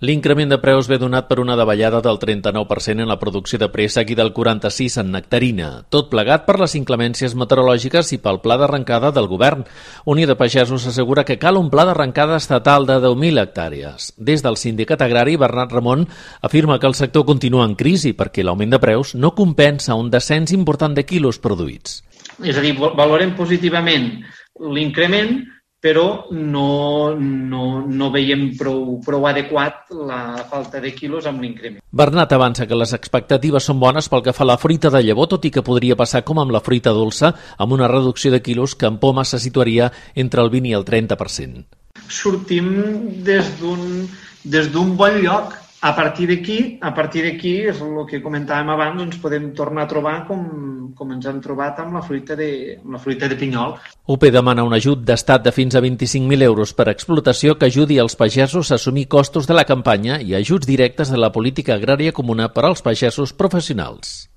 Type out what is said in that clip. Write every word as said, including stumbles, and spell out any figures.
L'increment de preus ve donat per una davallada del trenta-nou per cent en la producció de préssec i del quaranta-sis per cent en nectarina, tot plegat per les inclemències meteorològiques i pel pla d'arrencada del govern. Unió de Pagesos assegura que cal un pla d'arrencada estatal de deu mil hectàrees. Des del sindicat agrari, Bernat Ramon afirma que el sector continua en crisi perquè l'augment de preus no compensa un descens important de quilos produïts. És a dir, valorem positivament l'increment, però no, no, no veiem prou, prou adequat la falta de quilos amb l'increment. Bernat avança que les expectatives són bones pel que fa a la fruita de llavor, tot i que podria passar com amb la fruita dolça, amb una reducció de quilos que en poma se situaria entre el vint i el trenta per cent. Sortim des d'un des d'un bon lloc. A partir d'aquí, a partir d'aquí, és el que comentàvem abans, ens podem tornar a trobar com, com ens hem trobat amb la fruita de, amb la fruita de pinyol. U P demana un ajut d'estat de fins a vint-i-cinc mil euros per explotació que ajudi els pagesos a assumir costos de la campanya i ajuts directes de la política agrària comuna per als pagesos professionals.